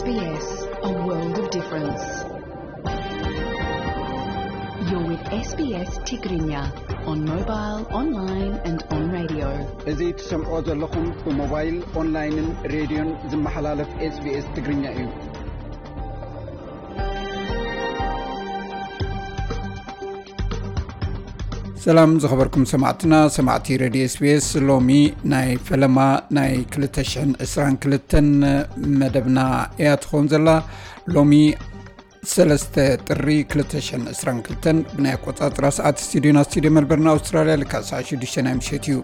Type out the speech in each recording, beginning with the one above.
S B S, a world of difference. You're with S B S Tigrinya on mobile, online and on radio. እዚ ትሰምዖ ዘለኹም ብሞባይል፣ ኦንላይንን ሬድዮን ዝመሓላለፍ S B S ትግርኛ እዩ። ሰላም ዝኸበርኩም ሰማዕትና፣ ሰማዕቲ ሬድዮ S B S፣ ሎሚ ናይ ፈለማ ናይ ክልተ ሽሕን ዕስራን ክልተን መደብና እያ ትኸውን ዘላ። ሎሚ ሰለስተ ጥሪ ክልተ ሽሕን ዕስራን ክልተን ብናይ ኣቆጻጽራ ሰዓት ስቱዲዮና፣ ስቱዲዮ መልበርን ኣውስትራልያ፣ ልክዕ ሰዓት ሽዱሽተ ናይ ምሸት እዩ።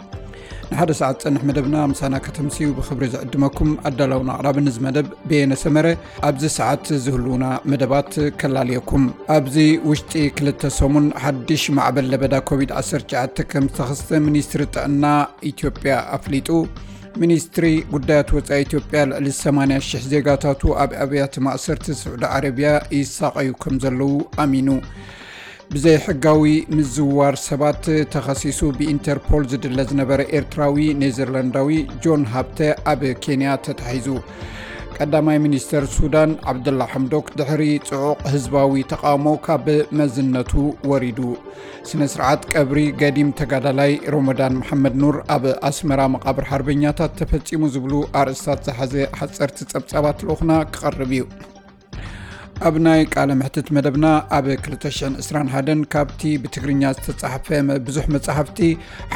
ንሓደ ሰዓት ዝጸንሕ መደብና ምሳና ከተምስዩ ብኽብሪ ዝዕድመኩም ኣዳላውን ኣቕራብን እዚ መደብ በየነ ሰመረ። ኣብዚ ሰዓት ዝህልዉና መደባት ከላልየኩም። ኣብዚ ውሽጢ ክልተ ሰሙን ሓድሽ ማዕበል ለበዳ ኮቪድ ዓሰርተ ትሽዓተ ከም ዝተኸስተ ሚኒስትሪ ጥዕና ኢትዮጵያ ኣፍሊጡ። ሚኒስትሪ ጉዳያት ወጻኢ ኢትዮጵያ ልዕሊ ሰማንያ ሽሕ ዜጋታቱ ኣብ ኣብያተ ማእሰርቲ ስዑዲ ዓረብያ ይሳቐዩ ከም ዘለዉ ኣሚኑ። ብዘይሕጋዊ ምዝዋር ሰባት ተኸሲሱ ብኢንተርፖል ዝድለ ዝነበረ ኤርትራዊ ኔዘርላንዳዊ ጆን ሃብተ ኣብ ኬንያ ተታሒዙ። ቀዳማይ ሚኒስተር ሱዳን ዓብደላ ሓምዶክ ድሕሪ ጽዑቕ ህዝባዊ ተቓውሞ ካብ መዝነቱ ወሪዱ። ስነ ስርዓት ቀብሪ ገዲም ተጋዳላይ ሮመዳን መሓመድ ኑር ኣብ ኣስመራ መቓብር ሓርበኛታት ተፈጺሙ ዝብሉ ኣርእስታት ዝሓዘ ሓጸርቲ ጸብጻባት ልኡኽና ክቐርብ እዩ። ኣብ ናይ ቃለ መሕትት መደብና ኣብ ክልተ ሽሕን ዕስራን ሓደን ካብቲ ብትግርኛ ዝተጻሕፈ መ-፣ ብዙሕ መጻሕፍቲ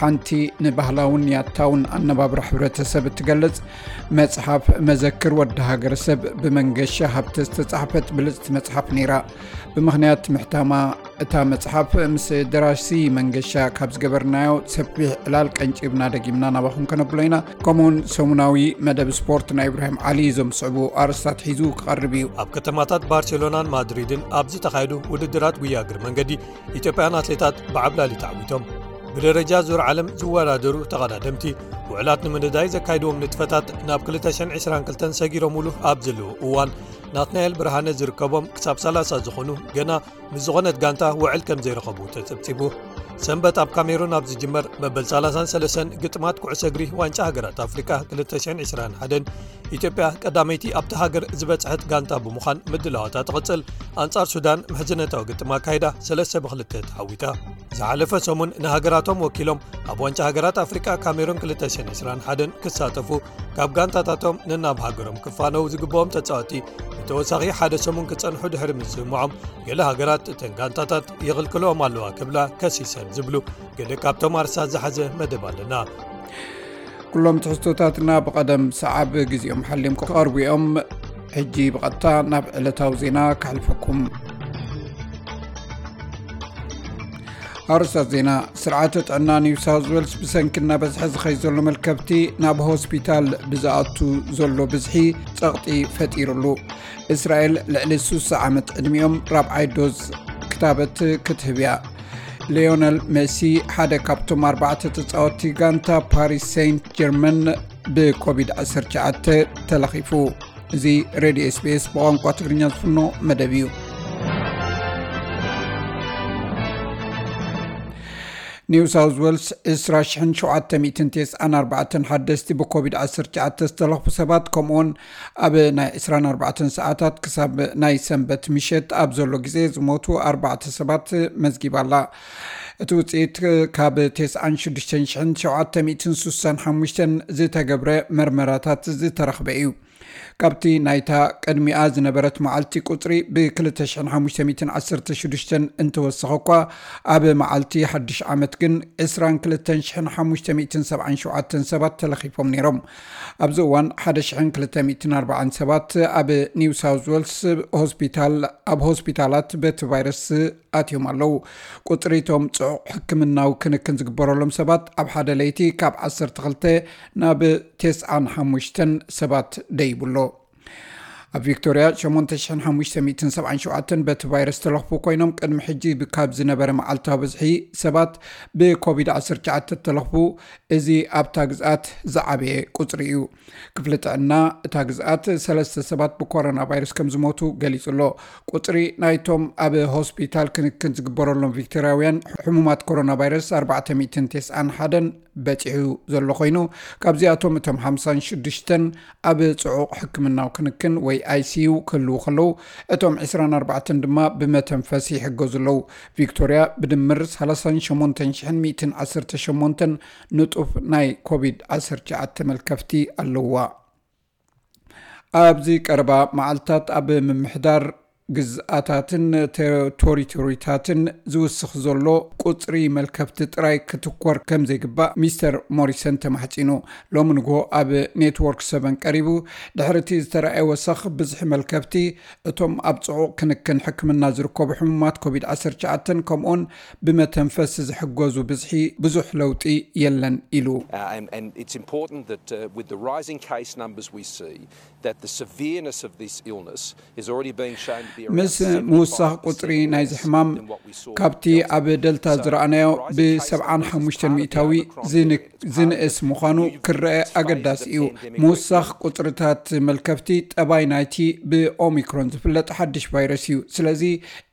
ሓንቲ ንባህላውን ያታውን ኣነባብራ ሕብረተሰብ እትገልጽ መጽሓፍ መዘክር ወዲ ሃገረሰብ ብመንገሻ ሃብተ ዝተጻሕፈት ብልጽቲ መጽሓፍ ነይራ። ብምኽንያት ምሕታማ እታ መጽሓፍ ምስ ደራሲ መንገሻ ካብ ዝገበርናዮ ሰፊሕ ዕላል ቀንጪብና ደጊምና ናባኹም ከነብሎ ኢና። ከምኡውን ሰሙናዊ መደብ ስፖርት ናይ ኢብራሂም ዓሊ እዞም ዝስዕቡ ኣርእስታት ሒዙ ክቐርብ እዩ። ኣብ ከተማታት ባርሴሎናን ማድሪድን ኣብ ዝተኻየዱ ውድድራት ጉያ እግሪ መንገዲ ኢትዮጵያውያን ኣትሌታት ብዓብላሊ ተዓዊቶም። ብደረጃ ዙር ዓለም ዝወዳደሩ ተቐዳደምቲ ውዕላት ንምንዳይ ዘካይድዎም ንጥፈታት ናብ ክልተ ሽሕን ዕስራን ክልተን ሰጊሮምሉ ኣብ ዘለዉ እዋን ናትናኤል ብርሃነ ዝርከቦም ክሳብ ሰላሳ ዝኾኑ ገና ምስ ዝኾነት ጋንታ ውዕል ከም ዘይረኸቡ ተጸብጺቡ። ሰንበት ኣብ ካሜሩን ኣብ ዝጅመር መበል ሰላሳን ሰለስተን ግጥማት ኩዕሶ እግሪ ዋንጫ ሃገራት ኣፍሪቃ ክልተ ሽሕን ዕስራን ሓደን ኢትዮጵያ ቀዳመይቲ ኣብቲ ሃገር ዝበጽሐት ጋንታ ብምዃን ምድላዋታ ትቕጽል። ኣንጻር ሱዳን ምሕዝነታዊ ግጥም ኣካይዳ ሰለስተ ብክልተ ተዓዊታ። ዝሓለፈ ሰሙን ንሃገራቶም ወኪሎም ኣብ ዋንጫ ሃገራት ኣፍሪቃ ካሜሩን ክልተ ሽሕን ዕስራን ሓደን ክሳተፉ ካብ ጋንታታቶም ነናብ ሃገሮም ክፋነው ዝግብኦም ተጻወቲ ንተወሳኺ ሓደ ሰሙን ክጸንሑ ድሕሪ ምስምዖም፣ ገለ ሃገራት እተን ጋንታታት ይኽልክልኦም ኣለዋ ክብላ ከሲሰን ዝብሉ ገለ ካብቶም ኣርሳ ዝሓዘ መደብ ኣለና። ኩሎም ትሕዝቶታትና ብቐደም ሰዓብ ግዜኦም ሓልዮም ክቐርቡ እዮም። ሕጂ ብቐጥታ ናብ ዕለታዊ ዜና ከሕልፈኩም። ኣርእስታት ዜና። ስርዓተ ጥዕና ኒው ሳውዝ ዌልስ ብሰንኪ እናበዝሐ ዝኸይድ ዘሎ መልከፍቲ ናብ ሆስፒታል ብዝኣቱ ዘሎ ብዝሒ ጸቕጢ ፈጢሩሉ። እስራኤል ልዕሊ ሱሳ ዓመት ዕድሚኦም ራብዓይ ዶዝ ክታበት ክትህብ እያ። ሊዮነል ሜሲ ሓደ ካብቶም ኣርባዕተ ተጻወትቲ ጋንታ ፓሪስ ሴንት ጀርመን ብኮቪድ ዓሰርተ ትሽዓተ ተለኺፉ። እዚ ሬድዮ S B S ብቋንቋ ትግርኛ ዝፍኖ መደብ እዩ። ኒው ሳውዝ ዌልስ ዕስራ ሽሕን ሸውዓተ ሚእትን ተስዓን ኣርባዕተን ሓደስቲ ብኮቪድ ዓሰርተ ትሽዓተ ዝተለኽፉ ሰባት፣ ከምኡውን ኣብ ናይ ዕስራን ኣርባዕተን ሰዓታት ክሳብ ናይ ሰንበት ምሸት ኣብ ዘሎ ግዜ ዝሞቱ ኣርባዕተ ሰባት መዝጊባ ኣላ። እቲ ውፅኢት ካብ ተስዓን ሽዱሽተን ሽሕን ሸውዓተ ሚእትን ሱሳን ሓሙሽተን ዝተገብረ መርመራታት ዝተረኽበ እዩ። ካብቲ ናይታ ቅድሚኣ ዝነበረት መዓልቲ ቁጽሪ ብ ክልተ ሽሕን ሓሙሽተ ሚእትን ዓሰርተ ሽዱሽተን እንተወሰኸ እኳ፣ ኣብ መዓልቲ ሓድሽ ዓመት ግን ዕስራን ክልተን ሽሕን ሓሙሽተ ሚእትን ሰብዓን ሸውዓተን ሰባት ተለኺፎም ነይሮም። ኣብዚ እዋን ሓደ ሽሕን ክልተ ሚእትን ኣርባዓን ሰባት ኣብ ኒው ሳውዝ ዌልስ ሆስፒታል፣ ኣብ ሆስፒታላት በቲ ቫይረስ ኣትዮም ኣለዉ። ቁጽሪ እቶም ጽዑቕ ሕክምናዊ ክንክን ዝግበረሎም ሰባት ኣብ ሓደ ለይቲ ካብ ዓሰርተ ክልተ ናብ ተስዓን ሓሙሽተን ሰባት ደይቡ ኣሎ። ኣብ ቪክቶርያ ሸሞንተ ሽሕን ሓሙሽተ ሚእትን ሰብዓን ሸውዓተን በቲ ቫይረስ ተለኽፉ ኮይኖም፣ ቅድሚ ሕጂ ብ-፣ ካብ ዝነበረ መዓልታዊ ብዝሒ ሰባት ብኮቪድ ዓሰርተ ትሽዓተ ተለኽፉ፣ እዚ ኣብታ ግዝኣት ዝዓበየ ቁጽሪ እዩ። ክፍሊ ጥዕና እታ ግዝኣት ሰለስተ ሰባት ብኮሮና ቫይረስ ከም ዝሞቱ ገሊጹ ኣሎ። ቁጽሪ ናይቶም ኣብ ሆስፒታል ክንክን ዝግበረሎም ቪክቶርያውያን ሕሙማት ኮሮና ቫይረስ ኣርባዕተ ሚእትን ተስዓን ሓደን በጺሑ ዘሎ ኮይኑ፣ ካብዚኣቶም እቶም ሓምሳን ሽዱሽተን ኣብ ጽዑቕ ሕክምናዊ ክንክን ወይ ኣይ ሲ ዩ ክህልዉ ከለዉ፣ እቶም ዕስራን ኣርባዕተን ድማ ብመተንፈሲ ይሕገዙ ኣለዉ። ቪክቶርያ ብድምር ሰላሳን ሸሞንተን ሽሕን ሚእትን ዓሰርተ ሸሞንተን ንጡፍ ናይ ኮቪድ ዓሰርተ ትሽዓተ መልከፍቲ ኣለዋ። ኣብዚ ቀረባ መዓልታት ኣብ ምምሕዳር ግዝኣታትን ቴሪቶሪታትን ዝውስኽ ዘሎ ቁጽሪ መልከፍቲ ጥራይ ክትኮር ከም ዘይግባእ ሚስተር ሞሪሰን ተማሕጺኑ። ሎሚ ንግሆ ኣብ ኔትወርክ ሰቨን ቀሪቡ፣ ድሕሪ እቲ ዝተረኣየ ወሰኽ ብዝሒ መልከፍቲ፣ እቶም ኣብ ጽዑቕ ክንክን ሕክምና ዝርከቡ ሕሙማት ኮቪድ ዓሰርተ ትሽዓተ ከምኡውን ብመተንፈሲ ዝሕገዙ ብዝሒ ብዙሕ ለውጢ የለን ኢሉ። Uh, and, and it's important that uh, with the rising case numbers we see, that the severeness of this illness is already being shown to be around ምስ ምውሳኽ ቁጽሪ ናይዚ ሕማም ካብቲ ኣብ ደልታ ዝረኣናዮ ብ75 ሚእታዊ ዝንእስ ምዃኑ ክረአ ኣገዳሲ እዩ። ምውሳኽ ቁጽርታት መልከፍቲ ጠባይ ናይቲ ብኦሚክሮን ዝፍለጥ ሓድሽ ቫይረስ እዩ። ስለዚ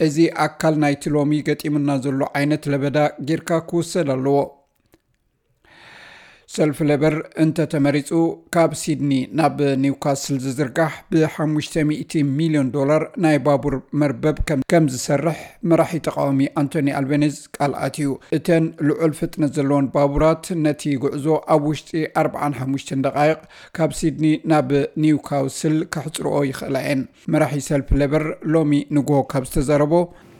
እዚ ኣካል ናይቲ ሎሚ ገጢሙና ዘሎ ዓይነት ለበዳ ጌርካ ክውሰድ ኣለዎ። ሰልፊ ሌበር እንተተመሪጹ፣ ካብ ሲድኒ ናብ ኒውካስል ዝዝርጋሕ ብ500 ሚልዮን ዶላር ናይ ባቡር መርበብ ከም ዝሰርሕ መራሒ ተቃዋሚ ኣንቶኒ ኣልቤኒዝ ቃል ኣትዩ። እተን ልዑል ፍጥነት ዘለወን ባቡራት ነቲ ጉዕዞ ኣብ ውሽጢ ኣርባዓን ሓሙሽተን ደቃይቕ ካብ ሲድኒ ናብ ኒውካስል ከሕጽርኦ ይኽእላ እየን። መራሒ ሰልፊ ሌበር ሎሚ ንግሆ ካብ ዝተዛረቦ፣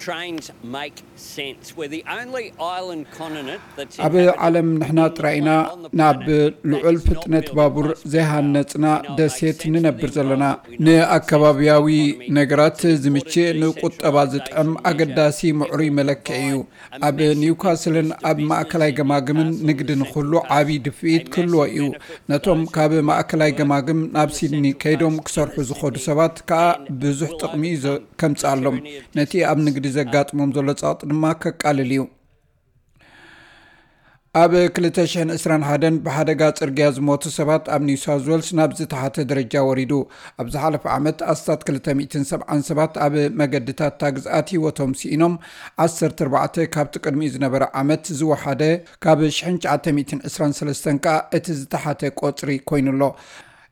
Trains make sense. We're the only island continent that's ኣብ ዓለም ንሕና ጥራይ ኢና ናብ ልዑል ፍጥነት ባቡር ዘይሃነጽና ደሴት ንነብር ዘለና። ንኣከባቢያዊ ነገራት ዝምችእ፣ ንቁጠባ ዝጥዕም ኣገዳሲ ምዕሩይ መለክዒ እዩ። ኣብ ኒውካስልን ኣብ ማእከላይ ገማግምን ንግዲ ንክህሉ ዓቢ ድፍኢት ክህልዎ እዩ። ነቶም ካብ ማእከላይ ገማግም ናብ ሲድኒ ከይዶም ክሰርሑ ዝኸዱ ሰባት ከኣ ብዙሕ ጥቕሚ እዩ ከምጽኣሎም። ነቲ ኣብ ንግዲ ዘጋጥሞም ዘሎ ጸቕጢ ድማ ከቃልል እዩ። ኣብ ክልተ ሽሕን ዕስራን ሓደን ብሓደጋ ጽርግያ ዝሞቱ ሰባት ኣብ ኒው ሳውዝ ዌልስ ናብ ዝተሓተ ደረጃ ወሪዱ። ኣብ ዝሓለፈ ዓመት ኣስታት ክልተ ሚእትን ሰብዓን ሰባት ኣብ መገድታት እታ ግዝኣት ህይወቶም ስኢኖም፣ ዓሰርተ ኣርባዕተ ካብቲ ቅድሚኡ ዝነበረ ዓመት ዝወሓደ፣ ካብ ሽሕን ትሽዓተ ሚእትን ዕስራን ሰለስተን ከኣ እቲ ዝተሓተ ቆጽሪ ኮይኑ'ሎ።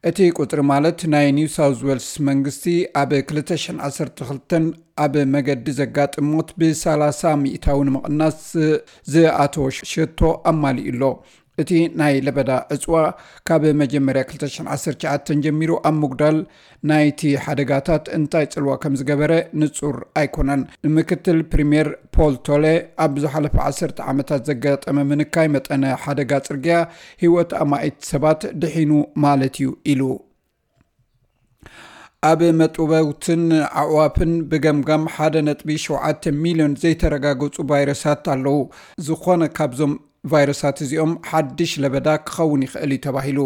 እቲ ቁጽሪ ማለት ናይ ኒው ሳውዝ ዌልስ መንግስቲ ኣብ ክልተ ሽሕን ዓሰርተ ክልተን ኣብ መገዲ ዘጋጥም ሞት ብ30 ሚእታዊ ንምቕናስ ዝኣተወ ሸቶ ኣማሊኡ ኣሎ። እቲ ናይ ለበዳ ዕጽዋ ካብ መጀመርያ ክልተ ሽሕን ዓሰርተ ትሽዓተን ጀሚሩ ኣብ ምጉዳል ናይቲ ሓደጋታት እንታይ ጽልዋ ከም ዝገበረ ንጹር ኣይኮነን። ምክትል ፕሪምየር ፖል ቶለ፣ ኣብ ዝሓለፈ ዓሰርተ ዓመታት ዘጋጠመ ምንካይ መጠነ ሓደጋ ጽርግያ ህይወት ኣማኢት ሰባት ድሒኑ ማለት እዩ ኢሉ። ኣብ መጥበውትን ኣዕዋፍን ብገምጋም ሓደ ነጥቢ ሸውዓተ ሚልዮን ዘይተረጋገጹ ቫይረሳት ኣለዉ። ዝኾነ ካብዞም ቫይረሳት እዚኦም ሓድሽ ለበዳ ክኸውን ይኽእል እዩ ተባሂሉ።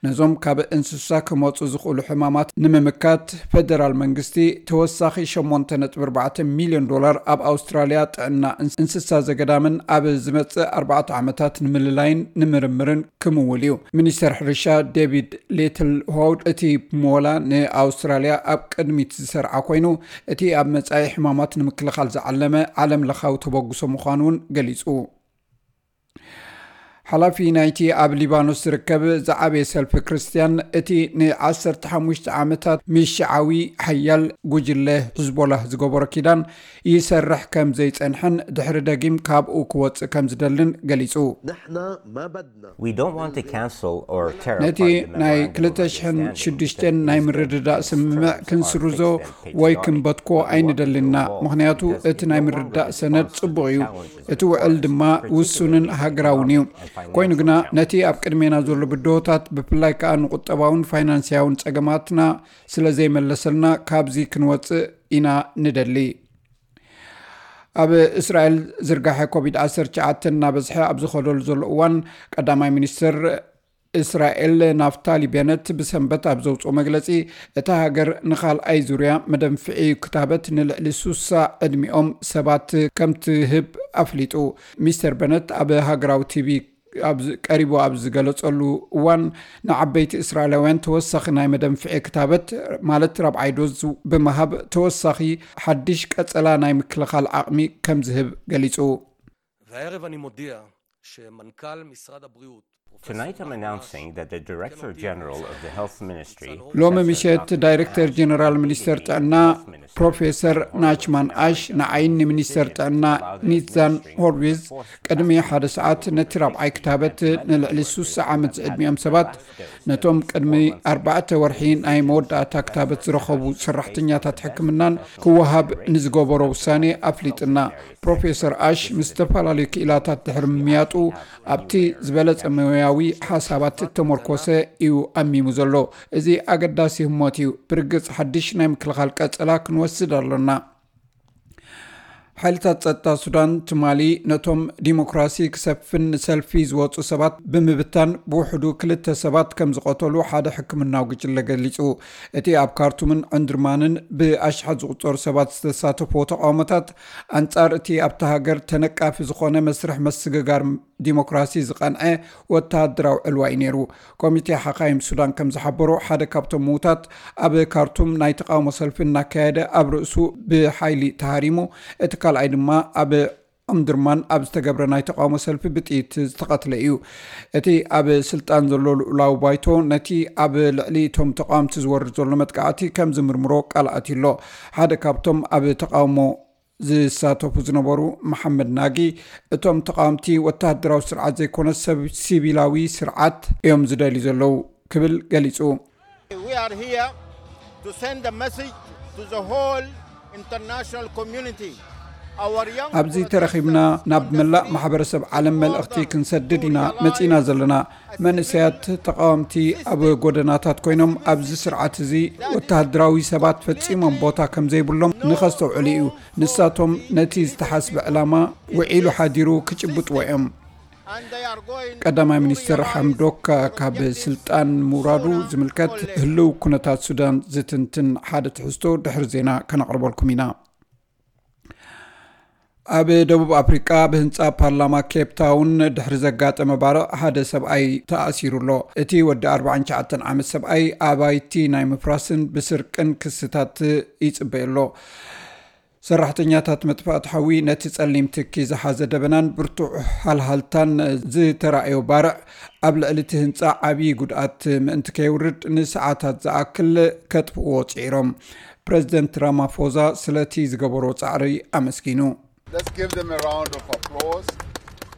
ነዞም ካብ እንስሳ ክመጹ ዝኽእሉ ሕማማት ንምምካት፣ ፈደራል መንግስቲ ተወሳኺ ሸሞንተ ነጥቢ ኣርባዕተ ሚልዮን ዶላር ኣብ ኣውስትራልያ ጥዕና እንስሳ ዘገዳምን ኣብ ዝመጽእ ኣርባዕተ ዓመታት ንምልላይን ንምርምርን ክምውል እዩ። ሚኒስተር ሕርሻ ዴቪድ ሊትል ሆውድ፣ እቲ ሞላ ንኣውስትራልያ ኣብ ቅድሚት ዝሰርዓ ኮይኑ፣ እቲ ኣብ መጻኢ ሕማማት ንምክልኻል ዝዓለመ ዓለም ለኻዊ ተበግሶ ምዃኑ እውን ገሊጹ። ሓላፊ ናይቲ ኣብ ሊባኖስ ዝርከብ ዝዓበየ ሰልፊ ክርስትያን፣ እቲ ን15 ዓመታት ምስ ሽዓዊ ሓያል ጉጅለ ሕዝቦላህ ዝገበሮ ኪዳን ይሰርሕ ከም ዘይጸንሐን ድሕሪ ደጊም ካብኡ ክወጽእ ከም ዝደልን ገሊጹ። نحن ما بدنا We don't want to cancel or tear ነቲ apart the ናይ memorandum of ክልተ ሽሕን ሽዱሽተን understanding ናይ because ምርድዳእ these ስምምዕ terms are ክንስርዞ fixed and ወይ patriotic, ክንበትኮ but we want them to ኣይንደልንና፣ evolve ምኽንያቱ because እቲ it ናይ no ምርዳእ longer ሰነድ responds to ጽቡቕ the እዩ። challenges እቲ ውዕል ድማ ውሱንን ሃገራውን እዩ። ኮይኑ ግና ነቲ ኣብ ቅድሜና ዘሎ ብድሆታት፣ ብፍላይ ከኣ ንቁጠባውን ፋይናንስያውን ጸገማትና ስለ ዘይመለሰልና፣ ካብዚ ክንወጽእ ኢና ንደሊ። ኣብ እስራኤል ዝርጋሐ ኮቪድ ዓሰርተ ትሽዓተ እናበዝሐ ኣብ ዝኸደሉ ዘሎ እዋን፣ ቀዳማይ ሚኒስትር እስራኤል ናፍታሊ ቤነት ብሰንበት ኣብ ዘውፅኦ መግለፂ፣ እታ ሃገር ንኻልኣይ ዙርያ መደንፍዒ ክታበት ንልዕሊ ሱሳ ዕድሚኦም ሰባት ከም ትህብ ኣፍሊጡ። ሚስተር ቤነት ኣብ ሃገራዊ ቲቪ ኣብ ዝ- ቀሪቡ ኣብ ዝገለጸሉ እዋን፣ ንዓበይቲ እስራኤላውያን ተወሳኺ ናይ መደንፍዒ ክታበት፣ ማለት ራብዓይ ዶዝ፣ ብምሃብ ተወሳኺ ሓድሽ ቀጸላ ናይ ምክልኻል ዓቕሚ ከም ዝህብ ገሊጹ። והערב אני מודיע שמנכ"ל משרד הבריאות Tonight I'm announcing that the Director General of the Health Ministry, ሎሚ ምሸት ዳይሬክተር ጀነራል ሚኒስተር ጥዕና ፕሮፌሰር ናችማን ኣሽ ንዓይን ንሚኒስተር ጥዕና ኒትዛን ሆርቪዝ ቅድሚ ሓደ ሰዓት ነቲ ራብዓይ ክታበት ንልዕሊ ሱሳ ዓመት ዝዕድሚኦም ሰባት ነቶም ቅድሚ ኣርባዕተ ወርሒ ናይ መወዳእታ ክታበት ዝረኸቡ ሰራሕተኛታት ሕክምናን ክወሃብ ንዝገበሮ ውሳኔ ኣፍሊጥና። ፕሮፌሰር ኣሽ ምስ ዝተፈላለዩ ክኢላታት ድሕሪ ምምያጡ ኣብቲ ዝበለጸ ሞያዊ ሓሳባት እተመርኮሰ እዩ ኣሚሙ ዘሎ። እዚ ኣገዳሲ ህሞት እዩ። ብርግጽ ሓድሽ ናይ ምክልኻል ቀጸላ ክንወስድ ኣሎና። ሓይልታት ጸጥታ ሱዳን ትማሊ ነቶም ዲሞክራሲ ክሰፍን ንሰልፊ ዝወጹ ሰባት ብምብታን ብውሕዱ ክልተ ሰባት ከም ዝቐተሉ ሓደ ሕክምናዊ ጉጅለ ገሊጹ። እቲ ኣብ ካርቱምን ዕንድርማንን ብኣሽሓት ዝቑጸሩ ሰባት ዝተሳተፍዎ ተቓውሞታት ኣንጻር እቲ ኣብታ ሃገር ተነቃፊ ዝኾነ መስርሕ መስግጋር ዲሞክራሲ ዝቐንዐ ወተሃደራዊ ዕልዋ እዩ ነይሩ። ኮሚቴ ሓኻይም ሱዳን ከም ዝሓበሮ ሓደ ካብቶም ምዉታት ኣብ ካርቱም ናይ ተቓውሞ ሰልፊ እናካየደ ኣብ ርእሱ ብሓይሊ ተሃሪሙ፣ እቲ ካልኣይ ድማ ኣብ ኦምድርማን ኣብ ዝተገብረ ናይ ተቓውሞ ሰልፊ ብጥይት ዝተቐትለ እዩ። እቲ ኣብ ስልጣን ዘሎ ልኡላዊ ባይቶ ነቲ ኣብ ልዕሊ እቶም ተቓወምቲ ዝወርድ ዘሎ መጥቃዕቲ ከም ዝምርምሮ ቃል ኣትዩ ኣሎ። ሓደ ካብቶም ኣብ ተቓውሞ ዝሳተፉ ዝነበሩ መሓመድ ናጊ፣ እቶም ተቓወምቲ ወተሃደራዊ ስርዓት ዘይኮነ ሰብ ሲቪላዊ ስርዓት እዮም ዝደልዩ ዘለዉ ክብል ገሊጹ። We are here to send a message to the whole international community. Our young ኣብዚ ተረኺብና ናብ መላእ ማሕበረሰብ ዓለም መልእኽቲ ክንሰድድ ኢና መጺና ዘለና። መንእሰያት ተቓወምቲ ኣብ ጎደናታት ኮይኖም ኣብዚ ስርዓት እዚ ወተሃደራዊ ሰባት ፈጺሞም ቦታ ከም ዘይብሎም ንኸስተውዕሉ እዩ። ንሳቶም ነቲ ዝተሓስበ ዕላማ ውዒሉ ሓዲሩ ክጭብጥዎ እዮም። ቀዳማይ ሚኒስትር ሓምዶክ ካብ ስልጣን ምውራዱ ዝምልከት ህልው ኩነታት ሱዳን ዝትንትን ሓደ ትሕዝቶ ድሕሪ ዜና ከነቕርበልኩም ኢና። ኣብ ደቡብ ኣፍሪቃ ብህንጻ ፓርላማ ኬፕ ታውን ድሕሪ ዘጋጠመ ባርዕ ሓደ ሰብኣይ ተኣሲሩ ኣሎ። እቲ ወዲ ኣርባዓን ትሽዓተን ዓመት ሰብኣይ ኣባይቲ ናይ ምፍራስን ብስርቅን ክስታት ይጽበዮ ኣሎ። ሰራሕተኛታት መጥፋእቲ ሓዊ ነቲ ጸሊም ትኪ ዝሓዘ ደበናን ብርቱዕ ሃልሃልታን ዝተራእዮ ባርዕ ኣብ ልዕሊ እቲ ህንጻ ዓብዪ ጉድኣት ምእንቲ ከየውርድ ንሰዓታት ዝኣክል ከጥፍእዎ ጽዒሮም። ፕረዚደንት ራማፎዛ ስለቲ ዝገበሮ ጻዕሪ ኣመስጊኑ። Let's give them a round of applause.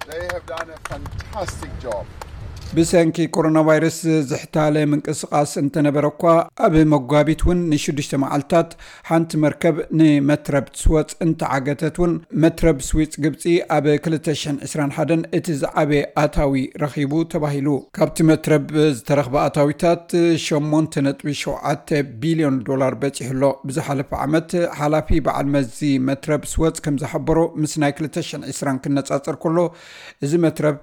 They have done a fantastic job. ብሰንኪ ኮሮና ቫይረስ ዝሕታለ ምንቅስቓስ እንተነበረ እኳ ኣብ መጓቢት እውን ንሽዱሽተ መዓልታት ሓንቲ መርከብ ንመትረብ ስወፅ እንተዓገተት እውን መትረብ ስዊፅ ግብፂ ኣብ ክልተ ሽሕን ዕስራን ሓደን እቲ ዝዓበየ ኣታዊ ረኺቡ ተባሂሉ። ካብቲ መትረብ ዝተረኽበ ኣታዊታት ሸሞንተ ነጥቢ ሸውዓተ ቢልዮን ዶላር በፂሑ ኣሎ። ብዝሓለፈ ዓመት ሓላፊ በዓል መዚ መትረብ ስወፅ ከም ዝሓበሮ ምስ ናይ ክልተ ሽሕን ዕስራን ክነፃፀር ከሎ እዚ መትረብ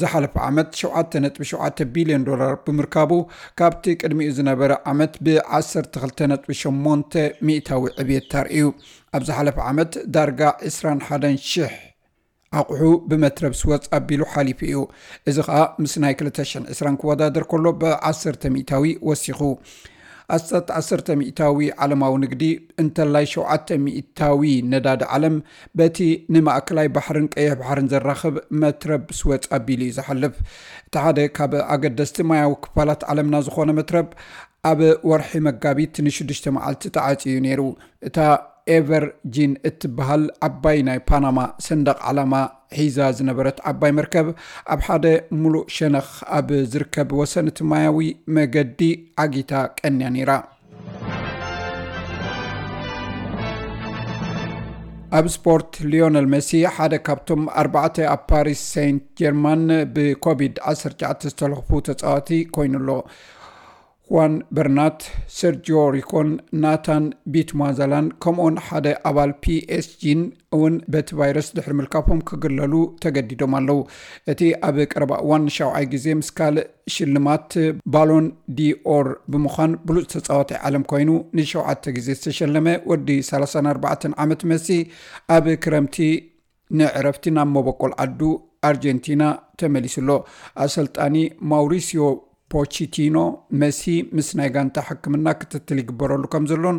ዝሓለፈ ዓመት ሸውዓተ ነጥቢ ሸውዓተ ቢልዮን ዶላር ብምርካቡ ካብቲ ቅድሚኡ ዝነበረ ዓመት ብ ዓሰርተ ክልተ ነጥቢ ሸሞንተ ሚእታዊ ዕብየት ተርእዩ። ኣብ ዝሓለፈ ዓመት ዳርጋ ዕስራን ሓደን ሽሕ ኣቑሑ ብመትረብ ስወፅ ኣቢሉ ሓሊፉ እዩ። እዚ ኸኣ ምስ ናይ ክልተ ሽሕን ዕስራን ክወዳደር ከሎ ብዓሰርተ ሚእታዊ ወሲኹ። ኣስታት ዓሰርተ ሚእታዊ ዓለማዊ ንግዲ እንተላይ ሸውዓተ ሚእታዊ ነዳዲ ዓለም በቲ ንማእከላይ ባሕርን ቀይሕ ባሕርን ዘራኽብ መትረብ ስወፅ ኣቢሉ እዩ ዝሓልፍ። እቲ ሓደ ካብ ኣገደስቲ ማያዊ ክፋላት ዓለምና ዝኾነ መትረብ ኣብ ወርሒ መጋቢት ንሽዱሽተ መዓልቲ ተዓጽዩ ነይሩ። እታ ኤቨር ጂን እትበሃል ዓባይ ናይ ፓናማ ሰንደቕ ዓላማ ሒዛ ዝነበረት ዓባይ መርከብ ኣብ ሓደ ሙሉእ ሸነኽ ኣብ ዝርከብ ወሰን እቲ ማያዊ መገዲ ዓጊታ ቀንያ ነይራ። ኣብ ስፖርት ሊዮነል መሲ ሓደ ካብቶም ኣርባዕተ ኣብ ፓሪስ ሴንት ጀርማን ብኮቪድ ዓሰርተ ትሽዓተ ዝተለኽፉ ተጻዋቲ ኮይኑ ኣሎ። ሁዋን በርናት፣ ሰርጂዮ ሪኮን ናታን ቢትማዛላን ከምኡውን ሓደ ኣባል ፒኤስጂን እውን በቲ ቫይረስ ድሕሪ ምልካፎም ክግለሉ ተገዲዶም ኣለዉ። እቲ ኣብ ቀረባ እዋን ንሻውዓይ ግዜ ምስ ካልእ ሽልማት ባሎን ዲኦር ብምዃን ብሉፅ ተፃዋታይ ዓለም ኮይኑ ንሸውዓተ ግዜ ዝተሸለመ ወዲ ሰላሳን ኣርባዕተን ዓመት መሲ ኣብ ክረምቲ ንዕረፍቲ ናብ መበቆል ዓዱ ኣርጀንቲና ተመሊሱ ኣሎ። ኣሰልጣኒ ማውሪሲዮ ፖቺቲኖ መሲ ምስ ናይ ጋንታ ሕክምና ክትትል ይግበረሉ ከም ዘሎን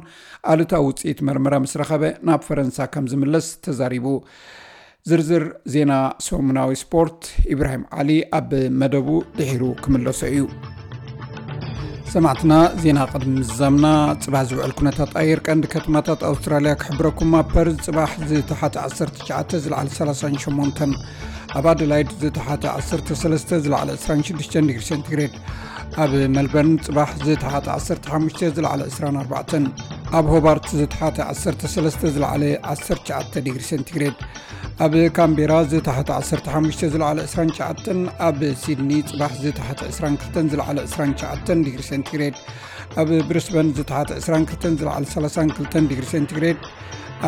ኣሉታዊ ውፅኢት መርመራ ምስ ረኸበ ናብ ፈረንሳ ከም ዝምለስ ተዛሪቡ። ዝርዝር ዜና ሰሙናዊ ስፖርት ኢብራሂም ዓሊ ኣብ መደቡ ድሒሩ ክምለሶ እዩ። ሰማዕትና፣ ዜና ቅድሚ ምዝዛምና፣ ጽባሕ ዝውዕል ኩነታት ኣየር ቀንዲ ከተማታት ኣውስትራልያ ክሕብረኩም። ኣብ ፐርዝ ጽባሕ ዝተሓተ ዓሰርተ ትሽዓተ፣ ዝለዓለ ሰላሳን ሸሞንተን፣ ኣብ ኣደላይድ ዝተሓተ ዓሰርተ ሰለስተ፣ ዝለዓለ ዕስራን ሽዱሽተን ዲግሪ ሴንቲግሬድ፣ ኣብ መልበርን ጽባሕ ዝተሓተ ዓሰርተ ሓሙሽተ፣ ዝለዓለ ዕስራን ኣርባዕተን፣ ኣብ ሆባርት ዝተሓተ ዓሰርተ ሰለስተ፣ ዝለዓለ ዓሰርተ ትሽዓተ ዲግሪ ሴንቲግሬድ፣ ኣብ ካምቤራ ዝተሓተ ዓሰርተ ሓሙሽተ፣ ዝለዓለ ዕስራን ትሽዓተን፣ ኣብ ሲድኒ ጽባሕ ዝተሓተ ዕስራን ክልተን፣ ዝለዓለ ዕስራን ትሽዓተን ዲግሪ ሴንቲግሬድ፣ ኣብ ብሪስበን ዝተሓተ ዕስራን ክልተን፣ ዝለዓለ ሰላሳን ክልተን ዲግሪ ሴንቲግሬድ፣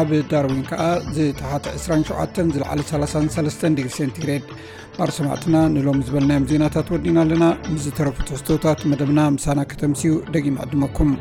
ኣብ ዳርዊን ከኣ ዝተሓተ ዕስራን ሸውዓተን፣ ዝለዓለ ሰላሳን ሰለስተን ዲግሪ ሴንቲግሬድ። ማር ሰማዕትና፣ ንሎም ዝበልናዮም ዜናታት ወዲና ኣለና። ምስ ዝተረፉ ትሕዝቶታት መደብና ምሳና ከተምስዩ ደጊም ዕድመኩም።